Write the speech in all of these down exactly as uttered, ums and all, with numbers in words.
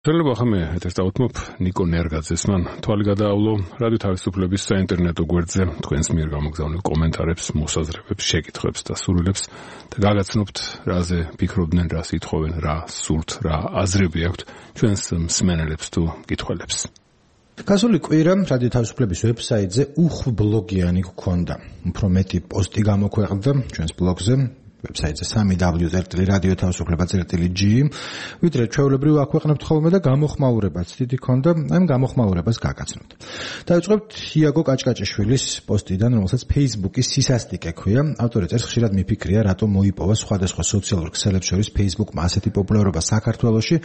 შეიძლება ხომ ეთერს დავუთმობ ნიკო ნერგაძეს. მან თვალი გადაავლო რადიო თავისუფლების საინტერნეტო გვერდზე თქვენს მიერ გამოგზავნილ კომენტარებს, მოსაზრებებს, შეკითხვებს და სურვილებს და გაგაცნობთ რაზე ფიქრობდნენ, რა სიტყვენ, რა სურთ, რა აზრები აქვთ ჩვენს მსმენელებს თუ მკითხველებს. გასული კვირა რადიო თავისუფლების ვებსაიტზე უხვბლოგიანი გქონდა. უფრო მეტი პოსტი გამოქვეყნდა ჩვენს ბლოგზე. ვებსაიტზე სამი დაბლიუ წერტილი რადიო თავისუფლება წერტილი ჯი, ვიდრე ჩვეულებრივ აქვეყნებთ ხოლმე და გამოხმაურებაც დიდი ქონდა, ამ გამოხმაურებას გაგაცნობთ. დავიწყებთ იაგო კაჭკაჭიშვილის პოსტიდან, რომელსაც Facebook-ის სისასტიკე ქვია. ავტორი წერს, ხშირად მიფიქრია, რატომ მოიპოვა სხვადასხვა სოციალურ ქსელებს შორის Facebook-მა ასეთი პოპულარობა საქართველოში.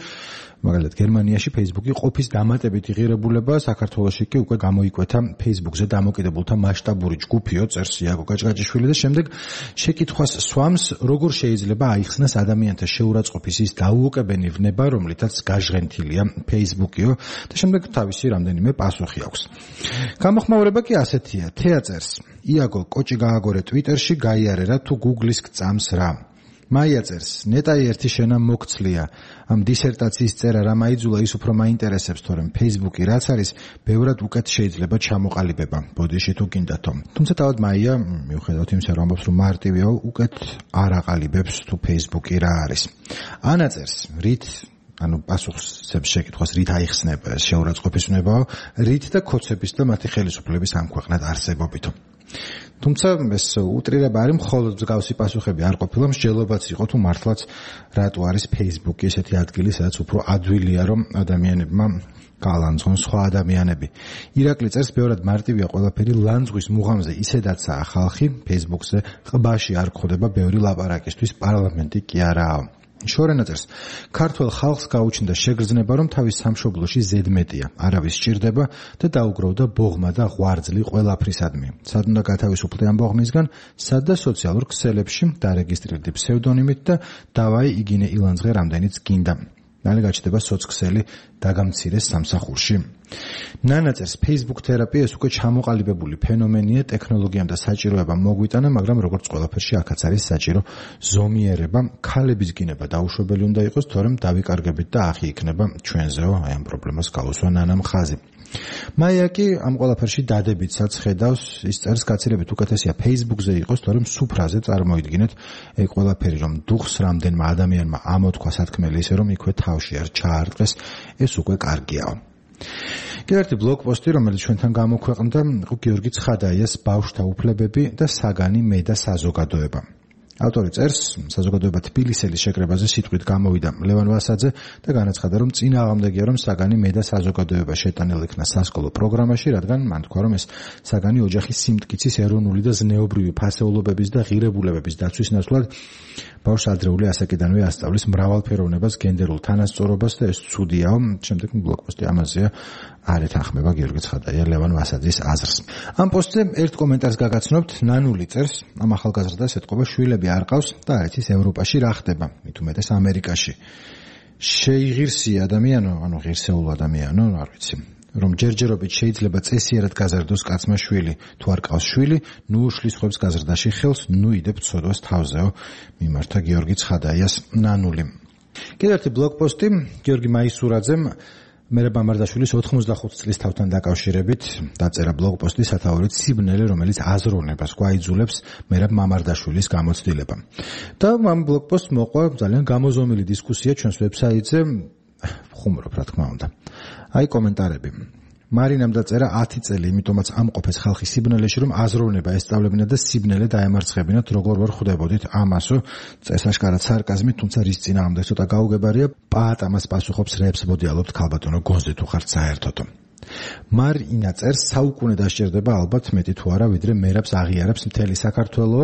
მაგალითად, გერმანიაში Facebook-ი ყოფის დამატებითი ღირებულება, საქართველოში კი უკვე გამოიკვეთა Facebook-ზე დამოკიდებულთა მასშტაბური ჯგუფიო, წერს იაგო კაჭკაჭიშვილი და შემდეგ შეკითხვას სვამს, როგორ შეიძლება აიხსნას ადამიანთა შეურაცხყოფის ის დაუოკებელი ვნება, რომლითაც გაჟღენთილია Facebook-იო და შემდეგ თავისი რამდენიმე პასუხი აქვს. გამოხმაურება კი ასეთია. თეა წერს, იაგო კოჭი გააგორე Twitter-ში, გაიარე რა თუ Google-ის გწამს რა. მაია წერს, ნეტაი ერთი შენა მოგცლია. ამ დისერტაციის წერა რა მაიძულა ის უფრო მაინტერესებს, თორემ Facebook-ი რაც არის, ბევრად უკეთ შეიძლება ჩამოყალიბება. ბოდიში თუ გინდათო. თუმცა თავად მაია, მიუხედავად იმისა, რომ ამბობს, რომ მარტივია, უკეთ არ აყალიბებს თუ Facebook-ი რა არის. ანა წერს, რით ანუ პასუხს შეკითხვას რით აიხსნება შეურაცხყოფის ვნებაო, რით და ქოცების და მათი ხელისუფლების ამ ქვეყნად არსებობითო. თუმცა ეს უტრირება არის, მხოლოდ მსგავსი პასუხები არ ყოფილა, მსჯელობაც იყო თუ მართლაც რატო არის Facebook-ი ესეთი ადგილი, სადაც უფრო ადვილია, რომ ადამიანებმა გალანძღონ სხვა ადამიანები. ირაკლი წერს, ბევრად მარტივია ყველაფერი, ლანძღვის მუღამზე ისედაცაა ხალხი, Facebook-ზე ყბაში არ გხვდება ბევრი ლაპარაკისთვის, პარლამენტი კი არაა. შორენა წერს, ქართველ ხალხს გაუჩნდა შეგრძნება, რომ თავის სამშობლოში ზედმეტია, არავის სჭირდება და დაუგროვდა ბოღმა და ღვარძლი ყველაფრისადმი. სად უნდა გათავისუფლდე ამ ბოღმისგან? სად და სოციალურ ქსელებში დარეგისტრირდი ფსევდონიმით და დავაი იგინე ილანძღე რამდენიც გინდა. მალე გაჩნდება სოцქსელი დაგამცირეს სამსახურში. ნანა წერს, Facebook თერაპია ეს უკვე ჩამოყალიბებული ფენომენია, ტექნოლოგიამ და საჭიროებამ მოგვიტანა, მაგრამ როგორც ყველაფერში აქაც არის საჭირო ზომიერება, ქალების გინება დაუშვებელი უნდა იყოს, თორემ დავიკარგებით და ახი იქნება ჩვენზეო, აი ამ პრობლემას გაუსვა ნანამ ხაზი. მაია კი ამ ყველაფერში დადებითსაც ხედავს, ის წერს, გაცილებით უკეთესია Facebook-ზე იყოს, თორემ სუფრაზე წარმოიდგინეთ ეგ ყველაფერი, რომ დუხს რამდენმა ადამიანმა ამოთქვა სათქმელი ისე, რომ იქვე თავში არ ჩაარტყეს, ეს უკვე კარგიაო. კიდევ ერთი ბლოგ პოსტი, რომელიც ჩვენთან გამოქვეყნდა, იყო გიორგი ცხადაიას ბავშვთა უფლებები და საგანი მე და საზოგადოება. ავტორი წერს, საზოგადოება თბილისელის შეკრებაზე სიტყვით გამოვიდა ლევან ვასაძე და განაცხადა, რომ წინააღმდეგია, რომ საგანი მე და საზოგადოება შეტანილ იქნა სასკოლო პროგრამაში, რადგან მან თქვა, რომ ეს საგანი ოჯახის სიმტკიცის ეროვნული და ზნეობრივი ფასეულობების და ღირებულებების დაცვის ნაცვლად ბავშვს ადრეული ასაკიდანვე ასწავლის მრავალფეროვნებას, გენდერულ თანასწორობას და ეს ცუდიაო. შემდეგ ბლოგპოსტი ამაზეა არ ეთანხმება გიორგი ცხადაია ლევან ვასაძის აზრს. ამ პოსტზე ერთ კომენტარს გაგაცნობთ, ნანული წერს, ამ ახალგაზრდას ეთყობა, შვილები არ ყავს და არ იცის ევროპაში რა ხდება, მით უმეტეს ამერიკაში. შეიღირსი ადამიანო, ანუ ღირსეულ ადამიანო, არ ვიცი, რომ ჯერჯერობით შეიძლება წესიერად გაზარდოს კაცმა შვილი, თუ არ ყავს შვილი, ნუ უშლის ხვებს გაზრდაში ხელს, ნუ იდებთ ცოდვას თავზეო, მიმართა გიორგი ცხადაიას ნანული. კიდევ ერთი ბლოგპოსტი, გიორგი მაისურაძემ მერაბ მამარდაშვილის ოთხმოცდახუთი წლის თავთან დაკავშირებით დაწერა ბლოგპოსტი სათაურით სიბნელე, რომელიც აზროვნებას გვაიძულებს მერაბ მამარდაშვილის გამოცდილება. და ამ ბლოგპოსტს მოყვა ძალიან გამოზომილი დისკუსია ჩვენს ვებსაიტზე, ხუმრობ რა თქმა უნდა. აი კომენტარები. მარინამ დაწერა ათი წელი, იმიტომაც ამყოფეს ხალხი სიბნელეში, რომ აზროვნება ესწავლებინათ და სიბნელე დაემარცხებინათ, როგორ ვერ ხვდებოდით ამასო, წეს აშკარად სარკაზმით, თუმცა რის წინააღმდეგ ცოტა გაუგებარია, პაატ ამას პასუხობს, რეებს მოდიალობთ ქალბატონო გონზე თუ ხართ საერთოდო. მარინა წერს, საუკუნე დასჭირდება ალბათ მეტი თუ არა, ვიდრე მერაბს აღიარებს მთელი საქართველო.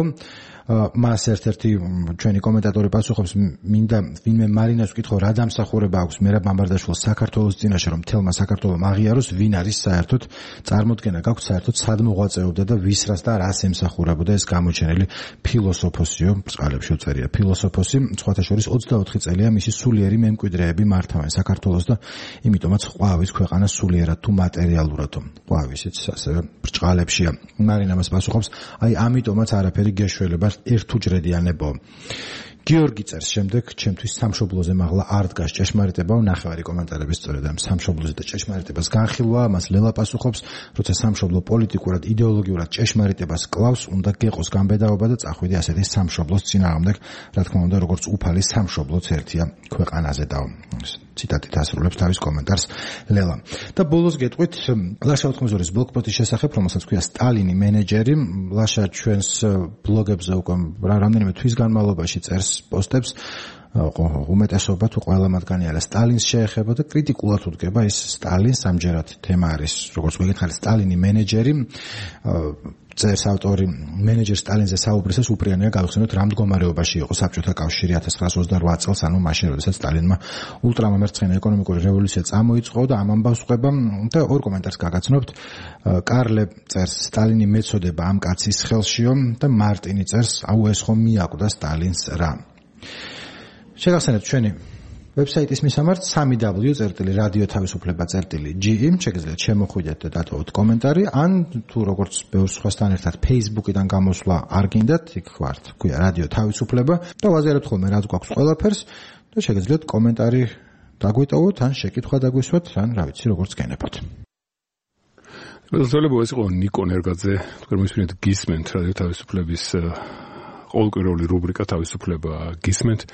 მას ერთ-ერთი ჩვენი კომენტატორი პასუხობს, მინდა ვინმე მარინას ვკითხო, რა დამსახურება აქვს მერაბ მამარდაშვილს საქართველოს წინაშე, რომ მთელმა საქართველომ აღიაროს, ვინ არის საერთოდ, წარმოდგენა გაქვთ საერთოდ სად მოღვაწეობდა და ვისრას და რას ემსახურებოდა ეს გამოჩენილი ფილოსოფოსიო, წყალებში უწერია ფილოსოფოსი, სხვათა შორის ოცდაოთხი წელია მისი სულიერი მემკვიდრეები მართავენ საქართველოს და იმიტომაც ყვავის ქვეყანა სულიერად თუ მატერიალურადო. ყვავისიც ასევე ბრჭყალებშია. მარინა მას პასუხობს, აი ამიტომაც არაფერი გეშველება ერთუჯრედიანებო. გიორგი წერს შემდეგ, ჩემთვის სამშობლოზე მაღლა არ დგას ჭეშმარიტებაო, ნახევარი კომენტარების სწორედ ამ სამშობლოზე და ჭეშმარიტებას განხილვა, მას ლელა პასუხობს, როცა სამშობლო პოლიტიკურად, იდეოლოგიურად ჭეშმარიტებას კლავს, უნდა გეყოს გამბედაობა და წახვიდე ასეთი სამშობლოს წინააღმდეგ, რა თქმა უნდა, როგორც უფალი სამშობლოც ერთია ქვეყანაზე და ციტატით ასრულებს თავის კომენტარს ლელა. და ბოლოს გეტყვით ლაშა ოთხმოცდაორის ბლოგპოსტის შესახებ, რომელსაც ქვია სტალინი მენეჯერი. ლაშა ჩვენს ბლოგებზე უკვე რამდენიმე თვის განმავლობაში წერს პოსტებს, უმეტესობა თუ ყველა მათგანი არა სტალინს შეეხება და კრიტიკულად უდგება ის სტალინს, ამჯერად თემა არის, როგორც მოგითხარი, სტალინი მენეჯერი. წერს ავტორი, მენეჯერ სტალინზე საუბრისას უპრიანია გავიხსენოთ რა მდგომარეობაში იყო საბჭოთა კავშირი ათას ცხრაასი ოცდაოთხ წელს, ანუ მაშინ, როდესაც სტალინმა ულტრამომერცხენა ეკონომიკური რევოლუცია წამოიწყო და ამ ამბავს ყვება და ორ კომენტარს გაგაცნობთ. კარლე წერს სტალინი მეწოდება ამ კაცის ხელშიო და მარტინი წერს აუ ეს ხომ მიაკვდა სტალინს რა. შეგახსენებთ ჩვენი ვებსაიტის მისამართ სამი დაბლიუ წერტილი რადიო თავისუფლება წერტილი ჯი შეგიძლიათ შემოხვიდეთ და დატოვოთ კომენტარი, ან თუ როგორც ბევრ სხვასთან ერთად Facebook-იდან გამოსვლა არ გინდათ, იქ ვართ, ქვია რადიო თავისუფლება და ვაზიარებთ ხოლმე რაც გვაქვს ყველაფერს და შეგიძლიათ კომენტარი დაგვიტოვოთ, ან შეკითხვა დაგვისვათ, ან რა ვიცი, როგორც გენებოთ. მოგესალმებით, ეს იყო ნიკო ნერგაძე, თქვენ მისმენთ გისმენთ რადიო თავისუფლების ყოველკვირეული რუბრიკა თავისუფლება გისმენთ.